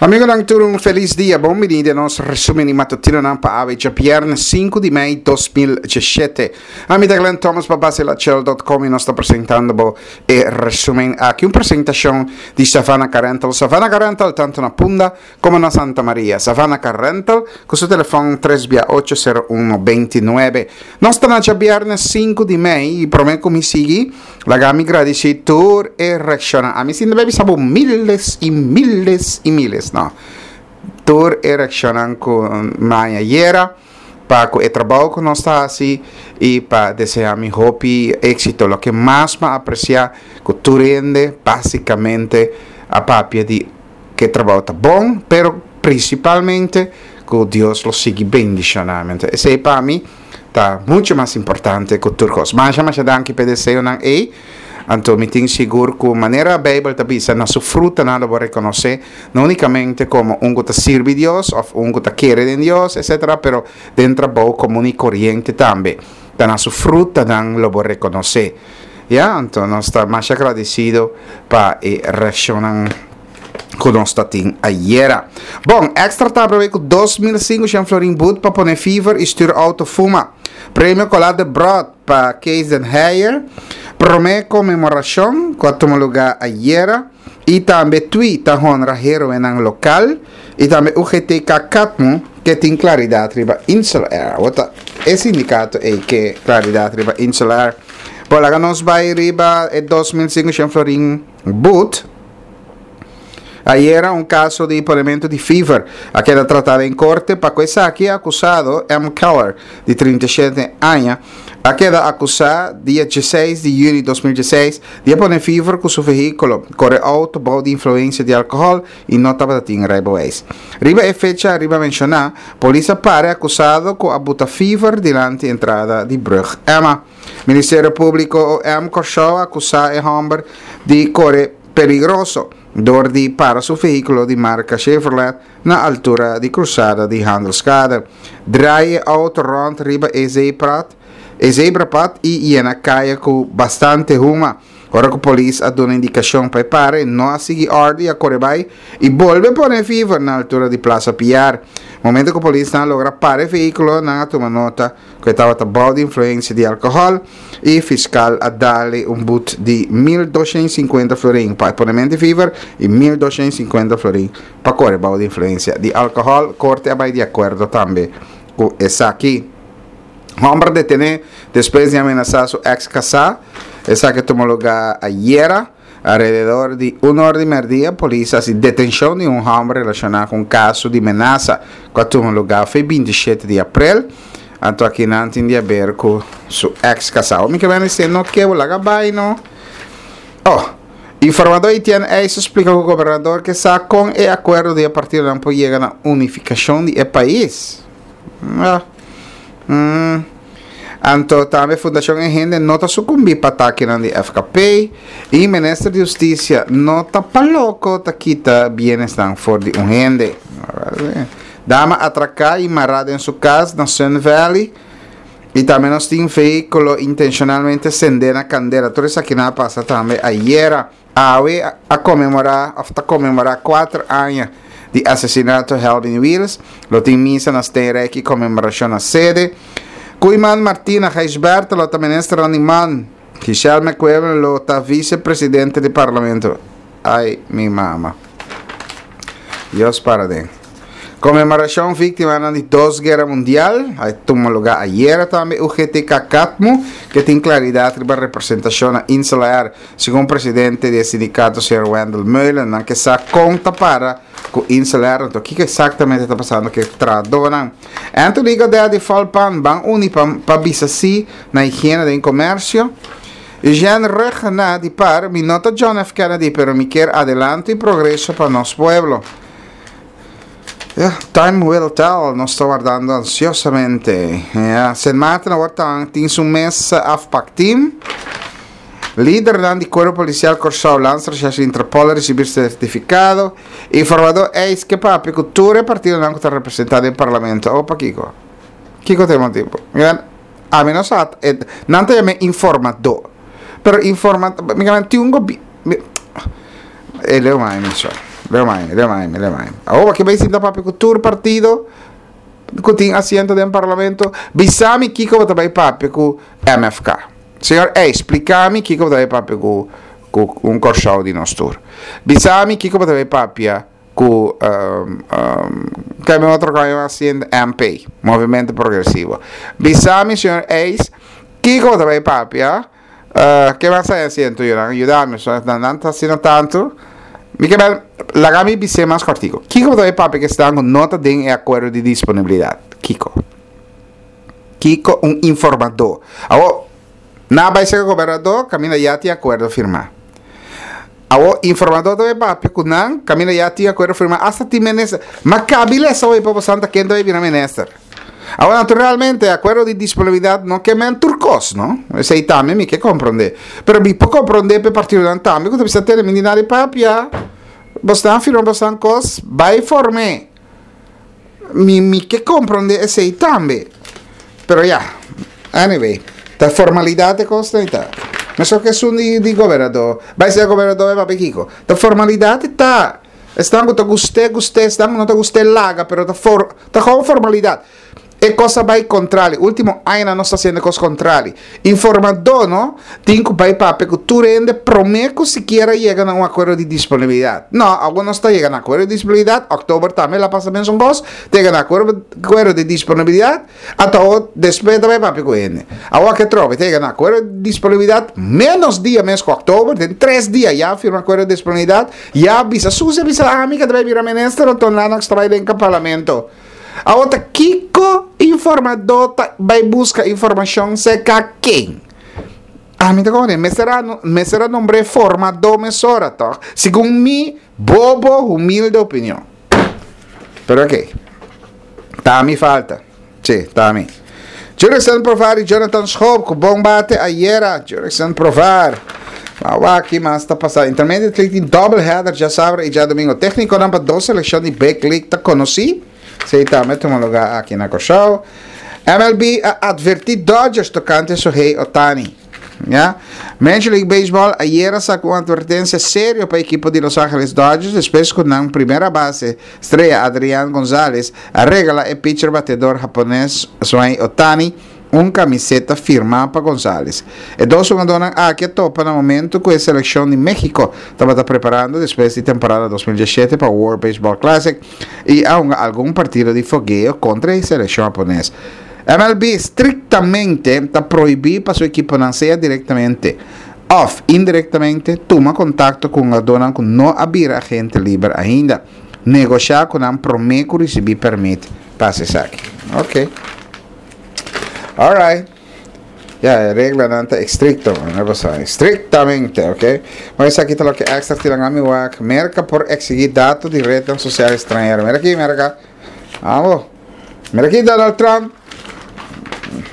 Amigonan tur un felis dia, bon bini den nos resumen di matutinonan pa awe djabièrnè sinku di mei 2017. Ami ta Glenn Thomas pa basilachel.com i nos ta presentando bo e resumen aki, un presentashon di Savannah Car Rental. Savannah Car Rental tanto na Punda komo na Santa Maria. Savannah Car Rental ku su telefòn tres bia ocho sero uno beinti nuebe. Nos ta na djabièrnè sinku di mei i promé ku mi sigui Laga mi gradisí tur e reakshonnan. Ami sin debe bisa bo miles i miles i miles, no. Tur e reakshonnan ku mi haña ayera pa ku e trabou ku nos ta hasi i pa deseá mi hopi éksito. Loke mas mi a apresiá ku tur hende básikamente a papia di ku e trabou ta bon, pero prinsipalmente ku Dios lo sigui bendishoná mi. Esei pa mi. Ta mucho mas importante ku tur kos. Masha masha danki p'e deseonan ei. Anto mi tin sigur ku manera Beibel ta bisa na su frutanan lo bo rekonosé, no únikamente komo un ku ta sirbi Dios òf un ku ta kere den Dios, etsetera, pero den trabou komun i koriente tambe. Ta na su frutanan lo bo rekonosé. Ya, anto nos ta masha gradisido pa e reakshonnan. ku nos ta tin ayera. Bon, Extra ta aprobe ku 2500 florin boet pa pone fever i stuur auto fuma. Premio Cola de Brot pa Kees den Heijer. Prome konmemorashon ku a tuma lugá ayera. I tambe Twi ta honra heroenan lokal. I tambe UGTK Katmu ke tin klaridat riba Insel Air. Awor ta e sindikato ei ke klaridat riba Insel Air. Bon, laga nos bai riba e 2500 florin boet. Ayera un kaso di ponementu di fever a keda tratá den korte pa ku esaki e akusado M. Keller di 37 aña a keda akusá dia dieseis di yüli 2016 di a pone fever ku su vehíkulo, kore outo bou di influensia di alkohòl i no tabata tin reibeweis. Riba e fecha ariba menshoná, polis a para e akusado ku a buta fever dilanti entrada di Brug Emma. Ministerio Públiko OM Kòrsou a akusá e hòmber di kore peligroso dor di para su vehíkulo di marka Chevrolet na altura di krusada di Handelskade, draai e outo rònt riba e zeeprat e zebrapad i yena kaya ku bastante huma. Ora ku polis a duna indikashon pa e para e no a sigui òrdu i a kore bai i bolbe pone fever na altura di Plaza Piar. Momento ku polisnan a logra para e vehíkulo nan a tuma nota ku e tabata bou di influensia di alkohòl i fiskal a dal-e un but di 1250 florin pa e ponement di fever i 1250 florin pa kore bou di influensia di alkohòl. Korte a bai di akuerdo tambe ku esaki. Hòmber detené despues di amenasá su eks kasá. Esaki a tuma lugá ayera. Alrededor di un or di merdia polis a hasi detenshon di un hòmber relashoná ku un kaso di menasa ku a tuma lugá fe 27 di aprel. Anto akinan tin di haber ku su eks kasá. Mi ke bende si e no ke bo laga bai no. Oh, informadó Etienne Eis a splika ku gobernador ke sa kon e akuerdo di e partidonan por yega na unifikashon di e pais. Ah. Mm. Anto tambe Fundashon E Hende no ta sukumbí pa atakenan di FKP i Minister di Hustisia no ta pa loko ta kita bienesnan for di un hende. Dama atraká i mará den su kas na Sun Valley i tambe nos tin vehíkulo intenshonalmente sendé na kandela. Tur esakinan a pasa tambe ayera. Awe a konmemorá òf ta konmemorá kuater aña di asesinato Helvin Wiels. Lo tin misa na Steenrijk i konmemorashon na sede. Koeiman Martina Gijsbertha lo ta ministernan di man. Giselle McQuillan lo ta vise presidente di parlamento. Ai mi mama. Dios para den. Konmemorashon víktimanan di dos guera mundial a tuma lugá ayera tambe UGTK Katmu ke tin klaridat riba representashon na Insel Air. Segun presidente di e sindikato señor Wendell Meulen nan ke sa kon ta para ku Insel Air anto kiko eksaktamente ta pasando ku e trahadónan. Anthony Godett di Volpan ban uni pa pa bisa si na higiena den komersio. Eugène Rhuggenaath di par, mi no ta John F. Kennedy pero mi kier adelanto i progreso pa nos pueblo. Ya, time will tell, nos ta wardando ansiosamente. Ya, Sint Maarten awor ta tin su mes afpakteam. Lidernan di Kuerpo Polisial Kòrsou, Landsrecherche i Interpol a risibí sertifikado. Informadó eis ke papia ku tur e partidonan ku ta representá den parlamento. Awor pakiko? Kiko ta e motibu? Miren, ami no sa, e, nan ta yam'é informadó. Pero informa, mi tin un gobi, mi, e leu mai mi so. Leo mai, leo mai, leo mai. Awor ke bai sinta papia ku tur partido ku tin asiento den parlamento, bisa mi kiko bo ta bai papia ku MFK. Señor Ey, splika mi kiko bo ta bai papia ku ku un Kòrsou di nos tur. Bisa mi kiko bo ta bai papia ku ke mi otro kòi asiento MP, Movimento Progresivo. Bisa mi señor Eis, kiko bo ta bai papia Ke mas ta hasi entu yunan? Yuda mi, so nan ta asina tantu. Mi ke bel, laga mi bis'é mas kòrtiku. Kiko bo ta bai papia ku esnan ku no ta den e akuerdo di disponibilidat? Kiko? Kiko un informadó? Awor, nan a bai serka gobernadó kaminda ya tin akuerdo firmá. Awor, informadó ta bai papia ku nan kaminda ya tin akuerdo firmá, asta tin minister. Ma kabi lesa hopi pa bo santa ken ta bai bira minister. Awor, naturalmente, akuerdo di disponibilidat no ke men tur kos, no? Esei tambe mi ke komprondé. Pero mi por komprondé pa e partidonan tambe ku ta bisa tene mi di nada di papia. Bosnan firma bosnan kos, bai form'é. Mi mi ke komprondé esei tambe. Pero ya, anyway, ta formalidat e kosnan ei ta. Meskos ku esun di di gobernador. Bai ser gobernador bai papia kiko. Ta formalidat e ta. Esnan ku ta gust'é, gust'é, esnan ku no ta gust'é, laga, pero ta for, ta gewoon formalidat. E kos a bai kontrali. Último añanan nos ta hasiendo e kos kontrali. Informadó no tin ku bai papia ku tur hende promé ku sikiera yega na un akuerdo di disponibilidat. No, awor nos ta yega na akuerdo di disponibilidat, òktober tambe el a pasa mesun kos, ta yega na akuerdo akuerdo di disponibilidat, Ata awor despues ta bai papia ku hende. Awor ke trobe ta yega na akuerdo di disponibilidat menos dia mes ku oktober, den tres dia ya a firma akuerdo di disponibilidat, ya a bisa Susi a bisa ami ke ta bai bira minister anto Lennox ta bai den parlamento. Awor ta kiko informadó ta bai buska informashon serka ken? Ami ta komo mester a mester a nombr'é formadó mesora tòg, segun mi bobo humilde opinion. Pero oke. Ta mi falta. Sí, ta mi. Jurickson Profar y Jonathan Schoop ku bon bate ayera. Jurickson Profar. Awa aki mas ta pasa. Intermediate League tin double header djasabra y djadomingo. Técniconan pa dos seleccion di Big League ta conocí. Esei tambe tuma lugar aki na Kòrsou. MLB a advertí Dodgers tokante Shohei Ohtani. Ya. Major League Baseball ayer a saca un advertencia serio pa equipo di Los Angeles Dodgers despues cu nan primera base estrella Adrian Gonzalez a regala e pitcher batedor japones Shohei Ohtani un camiseta firma pa Gonzalez. E dos hungadornan aki a topa na momento cu e seleccion di Mexico tabata preparando despues di temporada 2017 pa World Baseball Classic y a hunga algun partido di fogueo contra e seleccion japones. MLB strictamente ta prohibi pa su ekiponan sea directamente of indirectamente tuma contacto cu hungadornan cu no a bira agente liber ainda, negosha cu nan prome cu ricibi permit pa haci esaki. Ok. Alright. Ya, e reglanan ta estricto, no pasa, estrictamente, ok. Maar esaki ta loke extra tiran ami wak. Merca por exigi dato di rednan social extranhero. Mira aki, Merca. Amo. Mira aki Donald Trump.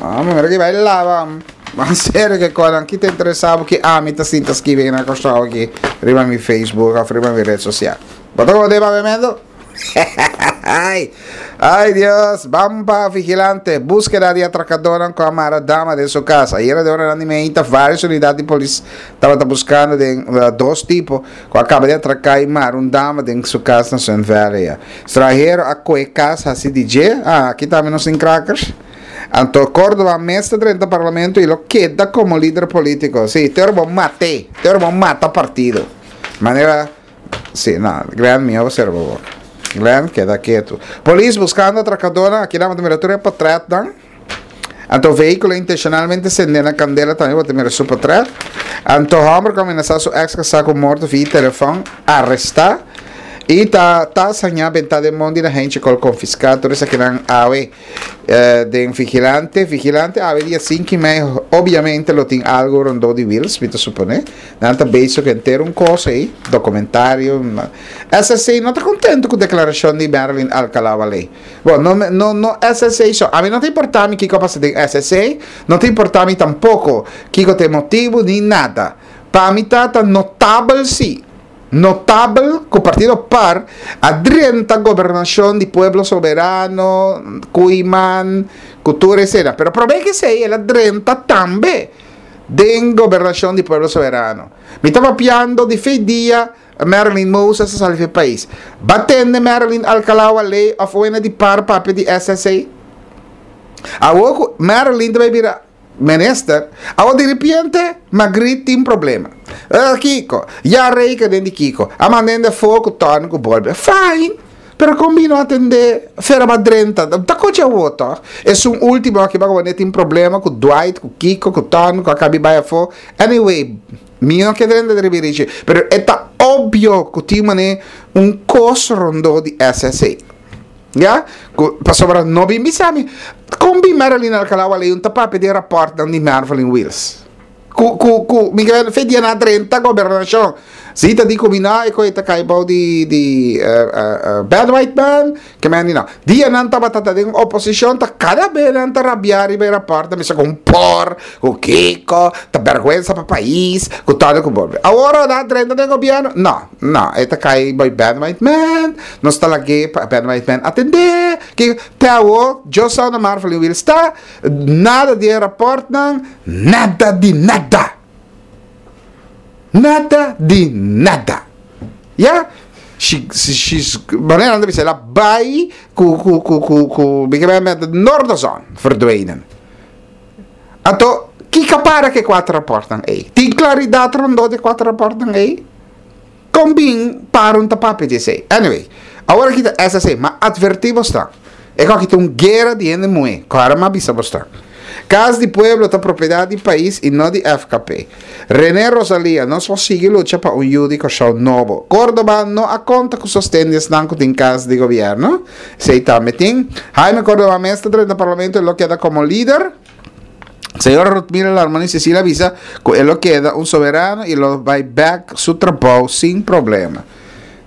Amo, mira aki bai lava. Maar serio ke konan ki ta interesa bo ki ami ta sinta skibi na Kòrsou aki riba mi Facebook of riba mi red sosial. Bo ta kono tema bebiendo? Ay, ay Dios, Bampa Vigilante, búskeda di atrakadónan ku a mara dama den su kas. Ayera den oranan di meinta vários unidat di polis tabata buskando den dos tipo ku a kaba di atraká i mara un dama den su kas na Sun Valley. Stranhero a koe kas hasi di dje. Ah, aki tambe nos tin krakers. Anto Córdoba mes ta drenta parlamento i lo keda komo lider polítiko. Sí, te ora bo mat'é, te ora bo mata partido. Manera, sí, no, Glenn mihó bo sera bo boka. Glenn, keda ketu. Polis buskando atrakadónan, aki nan bo ta mira tur e potretnan. Anto vehíkulo intenshonalmente sendé na kandela tambe bo ta mira su potret. Anto hòmber ku a menasá su èks kasá ku morto via telefòn arestá i ta tas hañá bentá den mondi na hentje kol konfiská. Tur esakinan awe den Vigilante. Vigilante awe dia sinku i mei obiamente lo tin algu rondó di Wiels mi ta suponé. Nan ta bezig ku henter un kos ei, dokumentario. SSC no ta kontentu ku deklarashon di Marilyn Alcalá-Wallé. Bo, no, no, no SSC so. Ami no ta importa mi kiko a pasa den SSC, no ta importa mi tampoko kiko ta e motibu ni nada. Pa mi ta ta notabel si, notabel ku Partido par a drenta gobernashon di Pueblo Soberano, Koeiman, ku tur esena. Pero prome ke esei el a drenta tambe. Den gobernashon di Pueblo Soberano. Mi ta papiando di fe dia Marilyn Moses a sali fe pais. Ba tende Marilyn Alcalá Wallé of wena di par papia di SSA? Awor ku Marilyn ta bai bira minister, awor diripiente Margriet tin problema. Eh, kiko? Ya reken den di kiko? A manda hende afó ku tòn ku bolbe. Fine! Pero kon bino atendé Fera Madrenta? Ta kochi awor tòg? Esun último aki baka wanneer tin problema ku Dwight, ku Kiko, ku Tòn, ku a kabi bai afó. Anyway, mi no ke drenta den ribirichi, pero e ta obvio ku tin manera un kos rondó di SSA. Ya? Ku pasobra no bin bisa mi kon bin Marilyn Alcalá Wallé un ta papia di e rapòrtnan di Mervelyn Wiels. Ku ku ku mi ke fe dia na drenta gobernashon. Si ta di ku mi no e koe ta kai bou di di bad white man ke men di no. Dia nan tabata ta den oposishon ta kada be nan ta rabia riba e rapòrt ta bisa ku un por ku kiko ta bèrgwensa pa pais ku todo ku bo. Awor nan a drenta den gobièrnu no no e ta kai bou bad white man nos ta lag'é pa bad white man atendé kiko te awor Joe na Marvelin Wiels ta Nada di e rapòrtnan, nada di nada! Nada di nada! Ya, she, she's, manera nan ta bisa, el a bai ku, ku, ku, ku, ku, mi ke met Noorderzon verdwenen. Anto, kiko a para ku e kuater rapòrtnan ei? Tin klaridat rondó di e kuater rapòrtnan ei? Kon bin para un ta papia di esei? Anyway, awor aki ta SSA, ma advertí bosnan. E ku aki ta un guera di hende muhé, kòrda mi a bisa bosnan. Kas di pueblo ta propiedat di pais i no di FKP. René Rosalia, nos por sigui lucha pa un yu di Kòrsou nobo. Córdoba no a konta ku sosten di esnan ku tin kas di gobièrnu. Esei tambe tin. Jaime Córdoba mes ta drenta parlamento i lo keda komo lider. Señora Rutmila Larmonie Cecilia a bisa cu e lo keda un soberano y lo bay bek su trabou sin problema.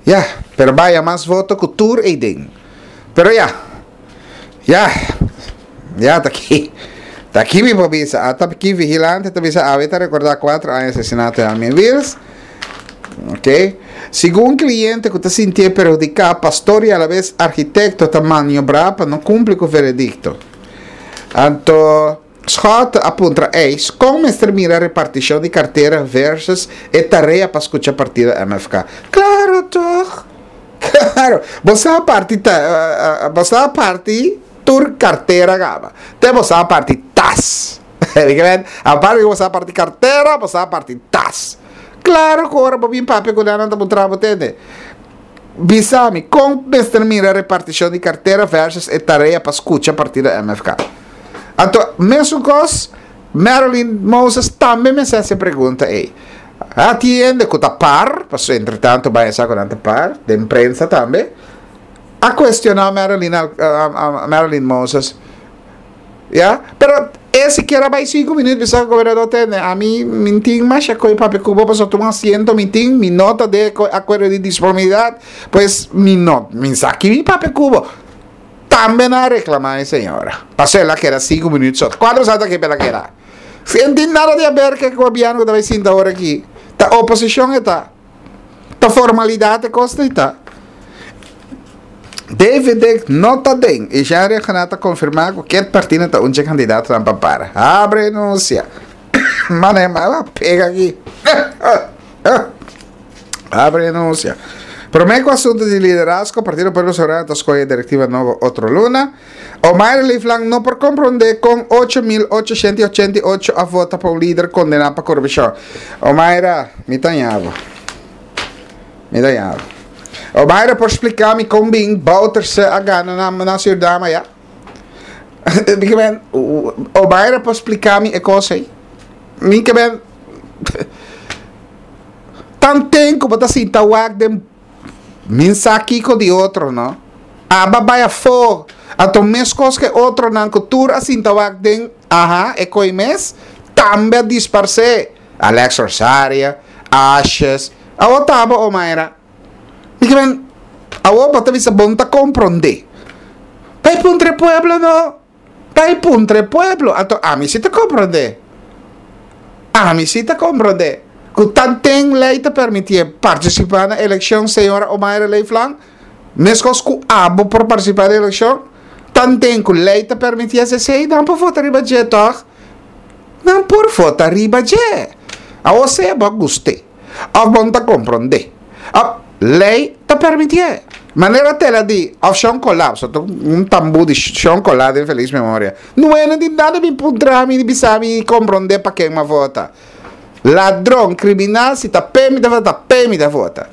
Ya, pero baya mas voto cu tur eyden. Pero ya, ya, ya ta aki, ta aki mi por bisa. Ata aki Vigilante ta bisa awe ta recorda 4 aña asesinato di Armin Wiels. Ok. Segun cliente cu ta sintié perhudica, pastor y alabes arquitecto ta maniobra pa no cumpli cu veredicto. Anto Schotte a puntra Eis kon mester mira repartishon di kartera versus e tarea pa skucha partido MFK. Klaro toch! Klaro! Bo sa parti ta bo sa parti tur kartera kaba. Te bo sa parti tas. Aparte ku bo sa parti kartera, bo sa parti tas. Klaro ku ora bo bin papia ku nan nan ta puntra bo tende. Bisa mi, kon mester mira repartishon di kartera versus e tarea pa skucha partido MFK? Anto, mesun kos, Marilyn Moses tambe mester hasi e pregunta ei. A tin hende ku ta par, pasobra entretanto bai a sa ku nan ta par, den prensa tambe, a kuestioná Marilyn, Marilyn Moses. Ya, pero e sikiera bai sinku minuut bisa gobernador tende, ami mi tin masha koe papia ku bo pasobra tuma asiento mi tin, mi no ta de akuerdo di disponibilidat, pues mi no, mi sa ki mi papia ku bo. Tambe nan a reklama e señora, pasobra el a keda sinku minuut so. Kuantu sa ta ke el a keda? Si e no tin nada di aber ku e gobièrnu ku ta bai sinta ora aki, ta oposishon e ta. Ta formalidat e kos ei ta. David Dick no ta den i Jean Reygenat ta konfirmá ku Kit Martina ta un dje kandidatonan pa para. Abre renuncia. Mane mala pega aki. Abre renuncia. Promé ku asuntu di liderazgo, Partido Pueblo Soberano ta skohe direktiva nobo otro luna. Omaira Leeflang no por komprondé kon 8.888 a vota pa un lider kondená pa korupshon. Omaira, mi ta ña bo. Mi ta ña bo. Omaira por splika mi kon bin Bouterse a gana na na Suriname aya? Mi ke men, Omaira por splika mi e kos ei? Mi ke men, tanten ku bo ta sinta wak den Min sa kiko di otro no. Aba bai afó. Anto meskos ku e otronan ku tur a sinta wak den aha e koi mes, tambe a disparsé. Alex Rosaria, Ashes, awor ta abo Omaira. Mi ke men, awor bo ta bisa bon ta komprondé. Bai puntra e pueblo no. Bai puntra e pueblo. Anto ami si ta komprondé. Ami si ta komprondé. Ku tanten lei ta permitié partisipá na elekshon, señora Omaira Leeflang, meskos ku abo por partisipá na elekshon, tanten ku lei ta permitié esei, nan por vota riba dje tòg? Nan por vota riba dje. Awor sea bo a gust'é òf bo no ta komprondé, òf lei ta permitié. Manera tela di òf Shon Colá, pasobra ta un tambú di Shon Colá den felis memoria. Nueno di nada bin puntra mi ni bisa mi komprondé pa ken mi a vota. Ladron, kriminal, si ta p'e mi ta vota, ta p'e mi ta vota.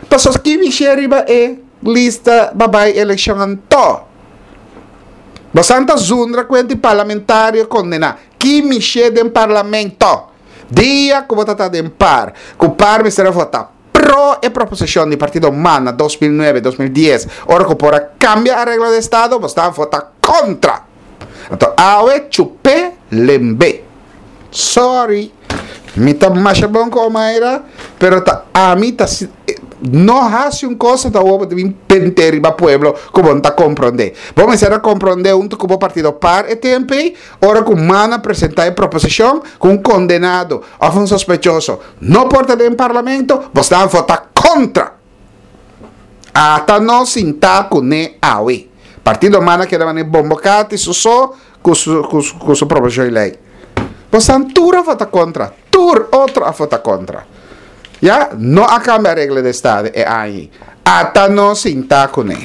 Pasobra ki mi riba e lista pa bai elekshon anto? Bosan ta zundra ku hende parlamentario kondená. Ki mishé den parlamento? Dia ku bo ta ta den par, ku par mester a vota pro e proposishon di partido man na 2009, 2010, ora ku por a kambia areglo di estado, bo sta vota kontra. Anto awe chup'é lemb'é. Sorry, mi ta masha bon ku Omaira, pero ta ami ta no hasi un kos ta bo ta bin pente riba pueblo ku bo no ta komprondé. Bo mester a komprondé huntu ku bo partido par e tempu ei, ora ku man a presentá e proposishon ku un kondenado òf un sospechoso no por ta den parlamento, bo sta vota kontra. Ata nos sintá kuné awe. Partido man a keda manera bombokati su so ku su ku su ku su proposishon di lei. Bosan tur a vota kontra, tur otro a vota kontra. Ya, no a kambia regla di estado e aña ei. Ata nos sintá kuné.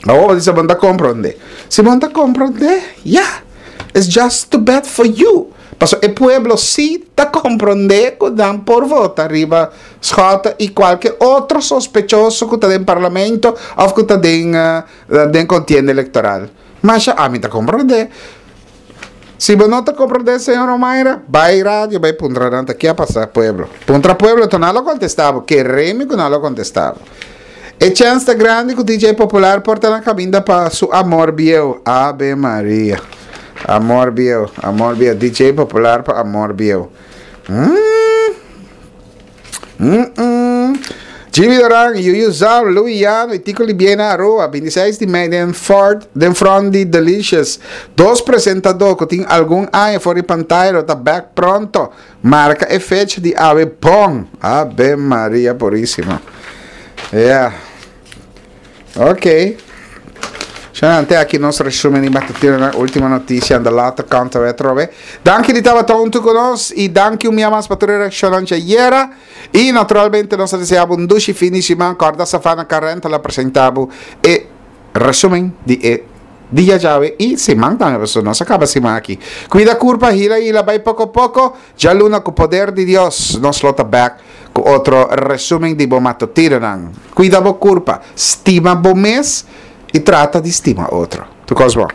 Awor bo di bo no ta komprondé. Si bo no ta komprondé, ya, it's just too bad for you. Pasobra e pueblo sí ta komprondé ku nan por vota riba Schotte i kualke otro sospechoso ku ta den parlamento òf ku ta den den kontienda elektoral. Masha ami ta komprondé. Si bo no ta komprondé, señor Omaira, bai radio bai puntra nan ta ke a pasa pueblo. Puntra pueblo to nan lo kontestá bo. Kere mi ku nan lo kontestá bo. E chèns ta grandi ku DJ Popular por ta na kaminda pa su amor bieu. Ave Maria. Amor bieu, amor bieu. DJ Popular pa amor bieu. Mm. Mm -mm. Jimmy Doran, Yuyu Zam, Louis Yano y Tico Libiena Aruba, 26 di mei den Fort, den front di Delicious. Dos presentador ku tin algun aña for di pantaya lo ta back pronto. Marka e fecha di awe bon. Ave Maria Purísima. Yeah. Ok. Sha te aki nos resumen di matutino última noticia en de late kant we trobe. Danki di tabata hunto con nos y danki un mia mas pa tur e reaccionnan djayera. Y naturalmente nos ta desea bo un dushi fin di siman. Corda Savannah Car Rental a presenta bo e resumen di e dia djawe y siman tambe pasobra nos a caba siman aki. Cuida curpa, hila hila, bay poco poco. Djaluna cu poder di Dios nos lo ta back cu otro resumen di bo matutinonan. Cuida bo curpa, stima bo mes y trata di stima otro. Tur cos bon.